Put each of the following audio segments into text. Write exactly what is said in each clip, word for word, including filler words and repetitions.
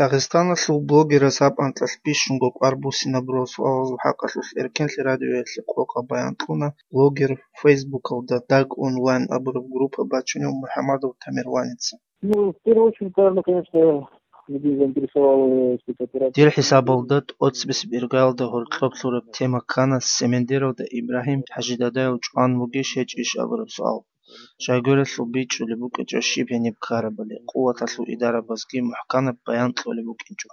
Дагъистаналъул блогераз гьаб анкьалъ бищунго кӀвар буссинабурал суалазул хӀакъалъулъ Эркенлъи радиоялъе къокъаб баян кьуна блогер, Фейсбукалда Даг Онлайн абураб группа бачунев МухӀамадов Тамерланица. Ну, в первую очередь, наверное, конечно, людей заинтересовала эта операция. Дир хӀисабалда, тӀоцебесеб иргаялда гьоркьоб лъураб тема ккана Семендералда Ибрагьим ХӀажидадаяв чӀван вугищ гьечӀищ абураб суал. Щайгурелъул бичӀчӀулеб букӀинчӀо щиб гьениб ккарабали, къуваталъул идарабазги мухӀканаб баян кьолеб букӀинчӀо.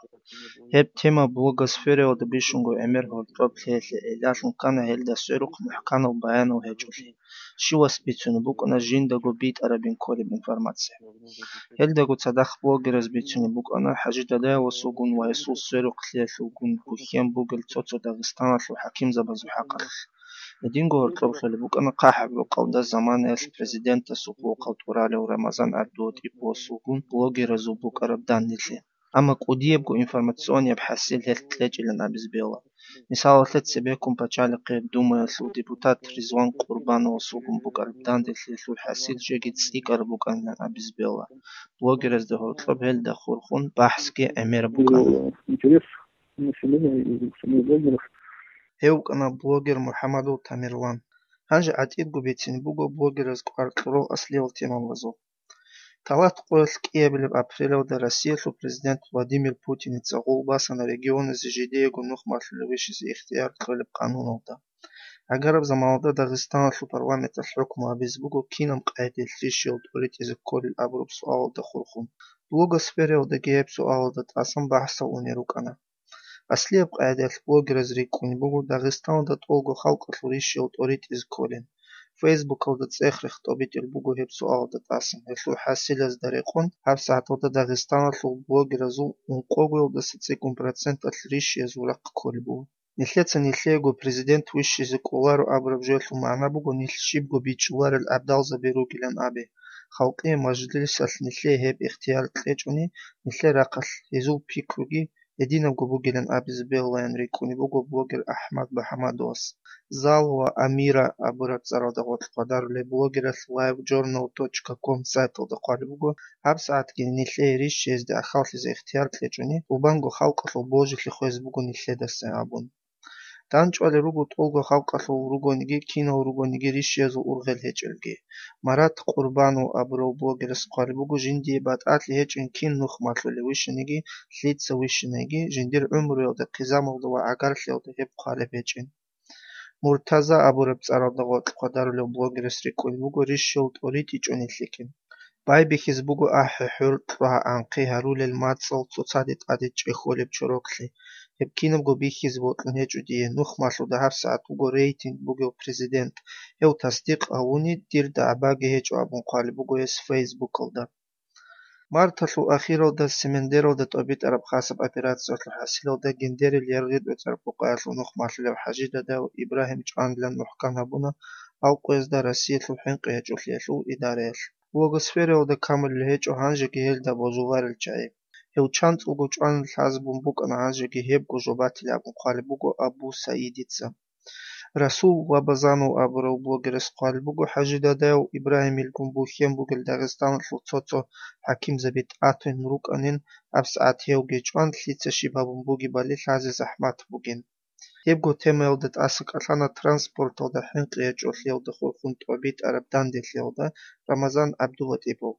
Гьеб тема блогосфераялда бищунго гӀемер гьоркьоб лъеялъе гӀиллалъун ккана гьелда сверухъ мухӀканав баянав гьечӀолъи. Щивас бицунеб букӀана жиндаго битӀарабин кколеб информация. Гьелдаго цадахъ блогераз бицунеб букӀана ХӀажидадаяв васулгун ва гьесул сверухъ лъеялъулгун бухьен бугел цо-цо Дагъистаналъул хӀакимзабазул хӀакъалъулъ. Гьединго гьоркьоб лъолеб букӀана хъахӀаб рукъалда заманаялъ президентасул хъулухъав тӀуралев Рамазан ГӀабдулатӀиповасулгун блогеразул букӀараб данделъи. Амма кӀудиябго информационияб хӀасил гьелъ кьечӀилан абизе бегьула. Мисалалъе, цебеккун пачалихъе Думаялъул депутат Ризван Къурбановасулгун букӀараб данделъиялъул хӀасил жеги цӀикӀкӀараб букӀанилан абизе бегьула. Блогеразда гьоркьоб гьелда хурхун бахӀсги гӀемераб букӀана. Интерес населения и самих блогеров. Гьев вукӀана блогер МухӀамадов Тамерлан. Гьанже гӀатӀидго бицине буго блогераз кӀвар кьурал аслиял темабазул. Талат къоялъ кӀиабилеб апрелалда Россиялъул президент Владимир Путиница гъул басана регионазе жидеего нух малъулев вищизе ихтияр кьолеб къануналда. Гьагараб заманалда Дагъистаналъул парламенталъ хӀукму гьабизе буго кинаб къагӀидаялъ рищиялъ тӀоритӀизе кколел абураб суалалда хурхун. Блогосфераялдаги гьеб суалалда тӀасан бахӀсал унел рукӀана. Аслияб къагӀидаялъ блогераз рикӀкӀунеб буго Дагъистаналда тӀолго халкъалъул рищиялъ тӀоритӀизе кколин. Фейсбукалда цӀех-рех тӀобитӀулеб буго гьеб суалалда тӀасан, гьелъул хӀасилазда рекъон гьабсагӀаталда Дагъистаналъул блогеразул ункъогоялдаса цӀикӀкӀун проценталъ рищиязул рахъ кколеб буго. Нилъеца нилъеего президент вищизе кӀоларо абураб жоялъул магӀна буго нилъ щибго бичӀчӀуларел гӀабдалзаби ругилан абе. Халкъие мажлисалъ нилъее гьеб ихтияр кьечӀони, нилъер рахъалъ гьезул пикруги гьединабго бугилан абизе бегьулаян рикӀкӀунеб буго блогер АхӀмад БахӀамадовас. Зал ва Амира абураб цӀаралда гъоркь хъвадарулеб блогералъ live journal точка com сайталда хъвалеб буго, гьабсагӀатги нилъее рищиязде ахӀаллъизе ихтияр кьечӀони, гьеб буго халкъалъул божилъи хвезе буго нилъедаса абун. ДандчӀвалел руго тӀолго халкъалъул ругониги, кинал ругониги рищиязул ургъел гьечӀелги. Марат Къурбанов абурав блогерас хъвалеб буго, жиндие батӀалъи гьечӀин кин нух малъулев вищиниги, лъица вищиниги, жиндир гӀумруялда, хъизамалда ва гӀагарлъиялда гьеб хъвалеб гьечӀин. Муртаза абураб цӀаралда гъоркь хъвадарулев блогерас рикӀкӀунеб буго рищиялъ тӀоритӀичӀони лъикӀин. Байбихьизе буго ахӀи-хӀур, кьвагь-анхъи гьарулел мацӀал цоцаде тӀаде чӀехьолеб чороклъи. Гьеб кинабго бихьизе бокьун гьечӀо дие, нух малъуда гьабсагӀат вуго рейтинг бугев президент, гьев тасдикъ гьавуни, дир дагӀбаги гьечӀо абун хъвалеб буго гьес Фейсбукалда. Марталъул ахиралда Семендералда тӀобитӀараб хасаб операциялъул хӀасилалда гьендерил яргъи-дӀуцӀараб къокъаялъул нух малъулев ХӀажидадав Ибрагьим чӀванилан мухӀкан гьабуна Алкъоязда Россиялъул хӀинкъи гьечӀолъиялъул идараялъ. Блогосфераялда камулел гьечӀо гьанжеги гьелда божуларел чагӀи. Гьев чанцӀулго чӀван лъазабун букӀана, гьанжеги гьебго жо батилеб абун хъвалеб буго Абу Саидица. Расул Лабазанов абурав блогерас хъвалеб буго, ХӀажидадаяв Ибрагьимилгун бухьен бугел Дагъистаналъул цо-цо хӀакимзаби тӀатун рукӀанин, гьабсагӀат гьевги чӀван лъица щиб гьабун бугебали лъазе захӀмат бугин. Гьебго темаялда тӀаса кӀалъана транспорталда хӀинкъи гьечӀолъиялда хурхун тӀобитӀараб данделъиялда Рамазан ГӀабдулатӀипов.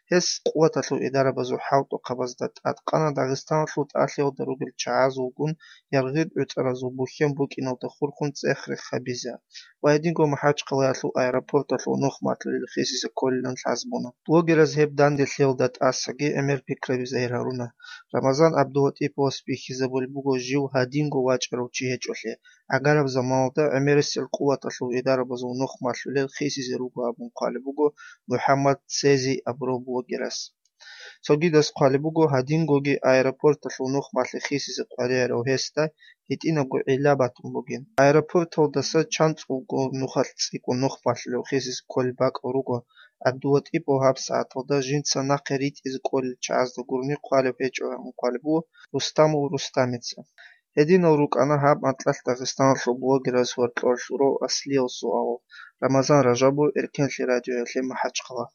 Гьес къуваталъул идарабазул хӀалтӀухъабазда тӀадкъана Дагъистаналъул тӀалъиялда ругел чагӀазулгун яргъи-дӀуцӀаразул бухьен букӀиналда хурхун цӀех-рех гьабизе ва гьединго МахӀачхъалаялъул аэропорталъул нух малъулел хисизе кколилан лъазабуна. Блогераз гьеб данделъиялда тӀасаги гӀемер пикраби загьир гьаруна. Рамазан ГӀабдулатӀиповас бихьизабулеб буго жив гьадинго вачӀарав чи гьечӀолъи, гӀагараб заманалда гӀемерисел къуваталъул идарабазул нух малъулел хисизе руго абун хъвалеб буго МухӀаммад Цези абурав блогерас. Цогидаз хъвалеб буго, гьадингоги аэропорталъул нух малъи хисизе къваригӀарав гьесда гьитӀинабго гӀилла батун бугин. Аэропорталдаса чанцӀулго нухалъ цӀикӀкӀун нух малъулев хисизе кколеб бакӀал руго ГӀабдулатӀипов гьабсагӀаталда жинца нахъе ритӀизе кколел чагӀазда гурони хъвалеб гьечӀо абун хъвалеб буго Рустамов Рустамица. Гьединал рукӀана гьаб анкьалъ Дагъистаналъул блогераз гьоркьор лъурав аслиял суал. Рамазан Ражабов, Эркенлъи радиоялъе МахӀачхъала.